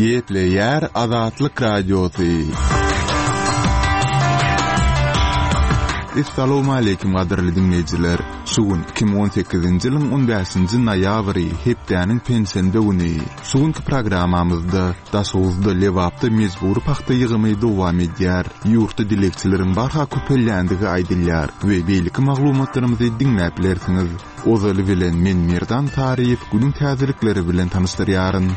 Gepleýär Azatlyk Radiosy. Essalawmaleýkim gadyrly diňleýjiler! Şu gün 2018-nji ýylyň 15-nji noýabry, hepdäniň penşenbe güni. Şu günki programmamyzda Daşoguzda, Lebapda mejbury pagta ýygymy dowam edýär. Ýurtda dilegçileriň barha köpelýändigi aýdylýar we beýleki maglumatlarymyzy diňläp bilersiňiz. Ozaly bilen men Merdan Saryýew günüň täzelikleri bilen tanyşdyrýaryn.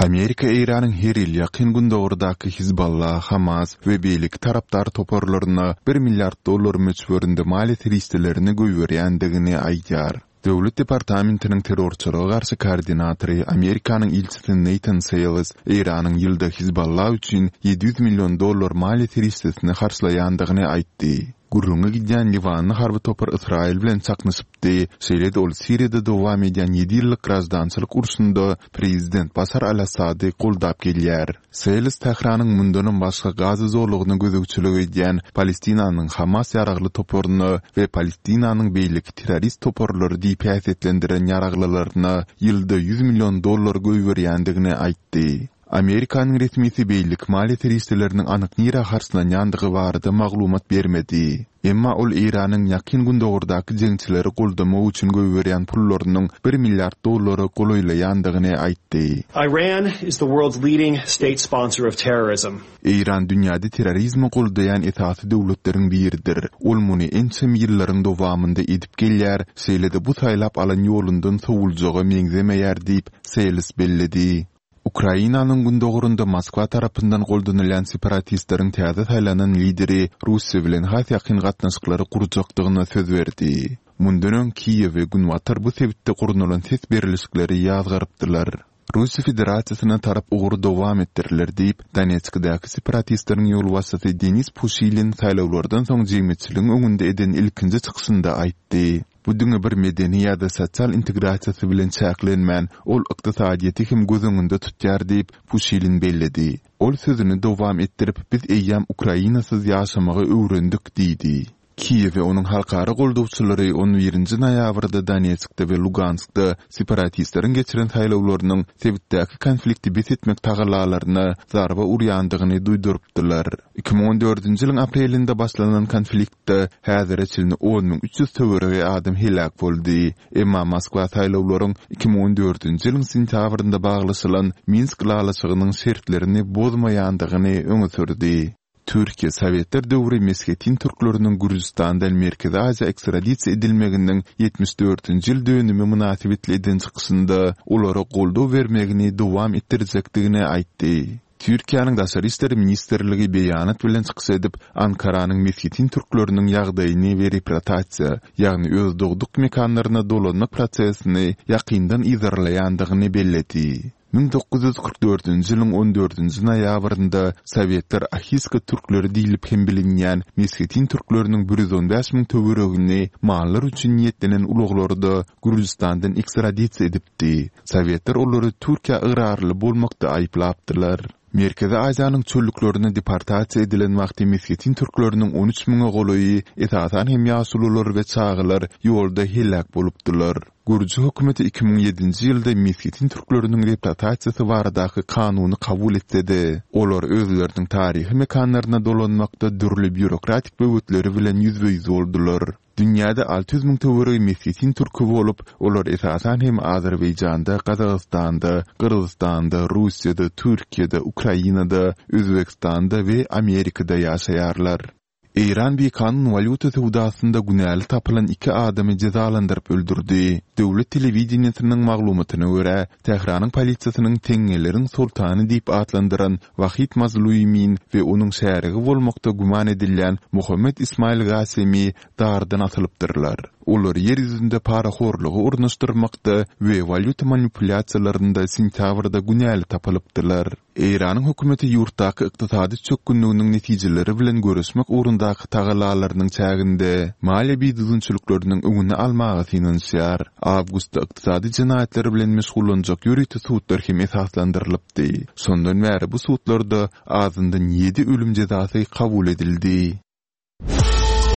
Amerika Eýranyň her ýyl Ýakyn Gündogardaky Hizballah, Hamas we beýleki tarapdar toparlaryna bir milliard dollar möçberinde maliýe serişdelerini goýberýändigini aýdýar. Döwlet departamentiniň terrorçylyga garşy koordinatory, Amerikanyň ilçisi Neýtan Seýles Eýranyň ýylda Hizballah üçin 700 million dollar maliýe serişdesini harçlaýandygyny aýtdy. Gürrüňi gidýän liwanly harby topar Ysraýyl bilen çaknyşypdy, şeýle-de ol Siriýada dowam edýän ýedi ýyllyk graždançylyk urşunda prezident Başar al-Assady goldap gelýär. Seles Tähranyň mundanam başga Gaza zolagyna gözegçilik edýän Palestinanyň Hamas ýaragly toparyna we Palestinanyň beýleki terrorist toparlary diýip häsiýetlendiren ýaraglylaryna ýylda 100 million dollar goýberýändigini aýtdy. Amerikanyň resmisi beýleki maliýe serişdeleriniň anyk nirä harçlanýandygy barada maglumat bermedi. Emma ol Eýranyň Ýakyn Gündogardaky jeňçileri goldamak üçin goýberýän pullarynyň bir milliard dollara golaýlaýandygyny aýtdy. Iran is the world's leading state sponsor of terrorism. Eýran dünýäde terrorizmi goldaýan esasy döwletleriň biridir. Ol muny ençeme ýyllaryň dowamynda edip gelýär, şeýle-de bu saýlap alan ýolundan sowuljaga meňzemeýär diýip, Seýles belledi. Ukrainanyň gündogarynda Moskwa tarapyndan goldanylýan separatistleriň täze saýlanan lideri Russiýa bilen has ýakyn gatnaşyklary gurjakdygyna söz berdi. Mundan öň Kiýew we Günbatar bu sebitde gurnalan ses berlişikleri ýazgarypdylar. Russiýa Federasiýasyna tarap ugur dowam etdiriler diýip, Donetskdäki separatistleriň ýolbaşçysy Denis Puşilin saýlawlardan soň jemgyýetçiligiň öňünde eden ilkinji çykyşynda aýtdy. Bu diňe bir medeni ýa-da sosial integrasiýasy bilen çäklenmän, ol ykdysadyýeti hem göz öňünde tutýar diýip, Puşilin belledi. Ol sözüni dowam etdirip, Biz eýýäm Ukrainasyz ýaşamagy öwrendik diýdi. Kiýew we onuň halkara goldawçylary on birinji noýabrda Donetskde we Luganskda separatistleriň geçiren saýlawlarynyň sebitdäki konflikti bes etmek tagallalaryna zarba urýandygyny duýdurypdylar. 2014-nji ýylyň aprelinde başlanan konfliktde häzire çenli 10 300 töweregi adam heläk boldy. Emma Moskwa saýlawlaryň 2014-nji ýylyň sentýabrynda baglaşylan Minsk ylalaşygynyň şertlerini bozmaýandygyny öňe sürdi. Türkiýe sowetler döwri meshetin türkleriniň Gürjüstandan Merkezi Aziýa ekstradisiýa edilmeginiň 74-nji ýyl dönümi mynasybetli eden çykyşynda olara goldaw bermegini dowam etdirjekdigini aýtdy. Türkiýäniň Daşary işler ministrligi beýanat bilen çykyş edip, Ankaranyň meshetin türkleriniň ýagdaýyny we reprotasiýa, ýagny öz dogduk mekanlaryna dolanmak prosesini ýakyndan yzarlaýandygyny belledi. 1944-nji ýylyň on dördünji noýabrynda sowetler ahiska türkleri diýlip hem bilinýän meshetin türkleriniň 115 müň töweregini mallar üçin niýetlenen ulaglarda Gürjüstandan ekstradisiýa edipdi. Sowetler olary Türkiýä ygrarly bolmakda aýyplapdylar. Merkezi Aziýanyň çöllüklerine deportasiýa edilen wagty meshetin türkleriniň on üç müňe golaýy, esasan hem ýaşulular we çagalar ýolda heläk bolupdylar. Gürji hökümeti 2007-nji ýylda meshetin türkleriniň reprotasiýasy baradaky kanuny kabul etse-de, olar özleriniň taryhy mekanlaryna dolanmakda dürli býurokratik böwetleri bilen ýüzbe-ýüz boldular. Dünýäde 600 müň töweregi meshetin türki bolup, olar esasan hem Azerbaýjanda, Gazagystanda, Gyrgyzystanda, Russiýada, Türkiýede, Ukrainada, Özbegistanda we Amerikada ýaşaýarlar. Eýran bikanun walýuta söwdasynda günäli tapylan iki adamy jezalandyryp öldürdi. Döwlet telewideniýesiniň maglumatyna görä, Tähranyň polisiýasynyň teňňeleriň soltany diýip atlandyran Wahid Mazluimin we onuň şärigi bolmakda güman edilýän Mohammed Ismail Gasemi dardan asylypdyrlar. Olar ýer ýüzünde parahorlugy ornaşdyrmakda we walýuta manipulýasiýalarynda sentýabrda günäli tapylypdylar. Eýranyň hökümeti ýurtdaky ykdysady çökgünliginiň netijeleri bilen göreşmek ugrundaky tagallalarynyň çäginde maliýe bidüzgünçilikleriniň öňüni almaga synanyşýar. Awgustda ykdysady jenaýatlar bilen meşgullanjak ýörite sudlar hem esaslandyrylypdy. Şondan bäri bu sudlarda azyndan ýedi ölüm jezasy kabul edildi.